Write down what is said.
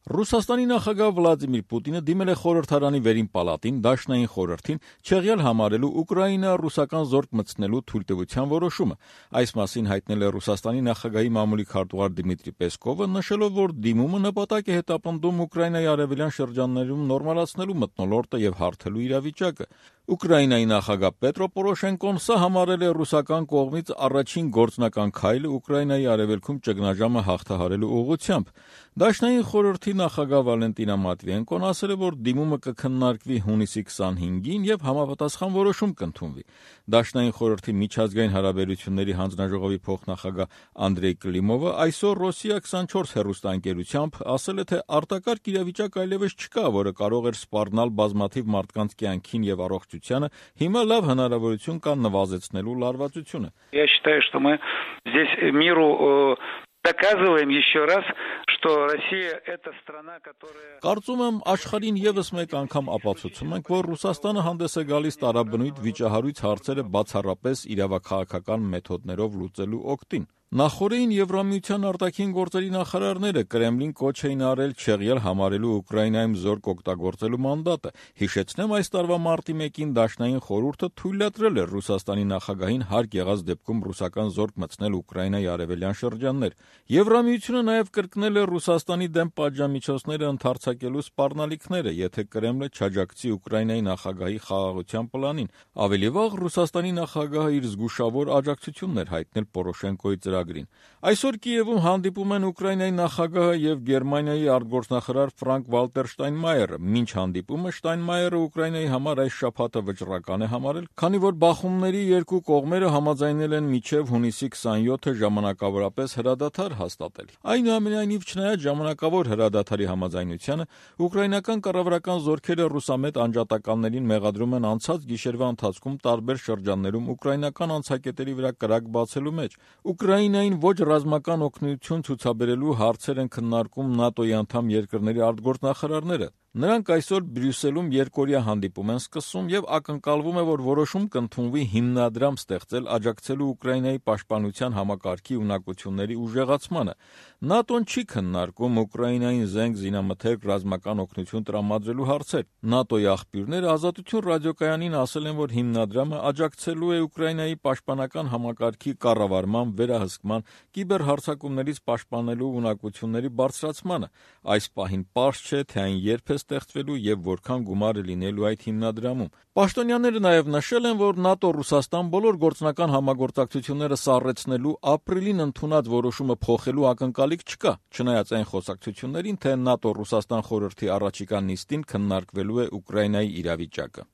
Ռուսաստանի նախագահ Վլադիմիր Պուտինը դիմել է խորհրդարանի վերին պալատին Դաշնային խորհրդին չեղյալ համարելու Ուկրաինա-ռուսական զորք մտցնելու թույլտվության որոշումը։ Այս մասին հայտնել է Ռուսաստանի նախագահի մամուլի քարտուղար Դիմիտրի Պեսկովը, նշելով, որ դիմումը նպատակ է հետապնդում Ուկրաինայի արևելյան շրջաններում նորմալացնելու մթնոլորտը եւ հարթելու իրավիճակը։ Ուկրաինայի նախագահ Պետրո Պորոշենկոն սա համարել է ռուսական կողմից առաջին գործնական քայլը Ուկրաինայի արևելքում ճգնաժամը հաղթահարելու ուղղությամբ։ Դաշնային խորհրդի նախագահ Վալենտինա Մատվիենկոն ասել է, որ դիմումը կքննարկվի հունիսի 25-ին եւ համապատասխան որոշում կընդունվի։ Դաշնային խորհրդի միջազգային հարաբերությունների հանձնաժողովի փոխնախագահ Անդրեյ Կլիմովը այսօր Ռոսիա 24 հեռուստաընկերությամբ ասել է, թե արտակարգ իրավիճակ այլևս չկա, որը կարող էր սպառնալ бազմաթիվ մարդկանց կյանքին եւ առողջությանը, հիմա լավ հնարավորություն կա նվազեցնելու լարվածությունը։ Я считаю, что мы здесь миру доказываем еще раз, что Россия это страна, которая Կարծում եմ աշխարհին եւս մեկ անգամ ապացուցում ենք, որ Ռուսաստանը հանդես է գալիս տարաբնույթ վիճահարույց հարցերը բացառապես իրավաքաղաքական մեթոդներով լուծելու օգտին։ Նախորդին Եվրամիության արտաքին գործերի նախարարները Կրեմլին կոչ էին արել չեղյալ համարելու Ուկրաինայում զորք օգտագործելու մանդատը։ Հիշեցնեմ, այս տարվա մարտի 1-ին Դաշնային խորհուրդը թույլատրել էր Ռուսաստանի նախագահին հարկ եղած դեպքում ռուսական զորք մտցնել Ուկրաինայի արևելյան շրջաններ։ Եվրամիությունը նաև կրկնել է Ռուսաստանի դեմ պատժամիջոցները ընդարձակելու սպառնալիքները, եթե Կրեմլը չաջակցի Ուկրաինայի նախագահի խաղաղության պլանին։ Ավելի վաղ Ռուսաստանի նախագահը իր զգուշավոր աջակցությունն էր հայտնել Պորոշենկոյի ծրագրին։ Այսօր Կիևում հանդիպում են Ուկրաինայի նախագահը եւ Գերմանիայի արտգործնախարար Ֆրանկ Վալտեր Շտայնմայերը։ Մինչ հանդիպումը Շտայնմայերը Ուկրաինայի համար այս շաբաթը վճռական է համարել, քանի որ բախումների երկու կողմերը համաձայնել են մինչև հունիսի 27-ը ժամանակավորապես հրադադար հաստատել։ Այնուամենայնիվ, չնայած ժամանակավոր հրադադարի համաձայնությանը, ուկրաինական կառավարական զորքերը ռուսամետ անջատականներին մեղադրում են անցած գիշերվա ընթացքում տարբեր շրջաններում ուկրաինական անցակետերի վրա կրակ բացելու մեջ։ Ուկրաինային ոչ ռազմական օգնություն ցուցաբերելու հարցեր են քննարկում ՆԱՏՕ-ի անդամ երկրների արտգործնախարարները։ Նրանք այսօր Բրյուսելում երկօրյա հանդիպում են սկսում եւ ակնկալվում է, որ որոշում կընդունվի հիմնադրամ ստեղծել աջակցելու Ուկրաինայի պաշտպանության համակարգի ունակությունների ուժեղացմանը։ ՆԱՏՕ-ն չի քննարկում Ուկրաինային զենք զինամթերք ռազմական օգնություն տրամադրելու հարցեր։ ՆԱՏՕ-ի աղբյուրները Ազատություն ռադիոկայանին ասել են, որ հիմնադրամը աջակցելու է Ուկրաինայի պաշտպանական համակարգի կառավարման, վերահսկման, կիբերհարձակումներից պաշտպանելու ունակությունների բարձրացմանը։ Այս պահին պարզ չէ, թե այն երբ է ստեղծվելու եւ որքան գումար է լինելու այդ հիմնադրամում։ Պաշտոնյաները նաեւ նշել են, որ ՆԱՏՕ-Ռուսաստան բոլոր գործնական համագործակցությունները սառեցնելու ապրիլին ընդունած որոշումը փոխելու ակնկալիք չկա, չնայած այն խոսակցություններին, թե ՆԱՏՕ-Ռուսաստան խորհրդի առաջիկա նիստին քննարկվելու է Ուկրաինայի իրավիճակը։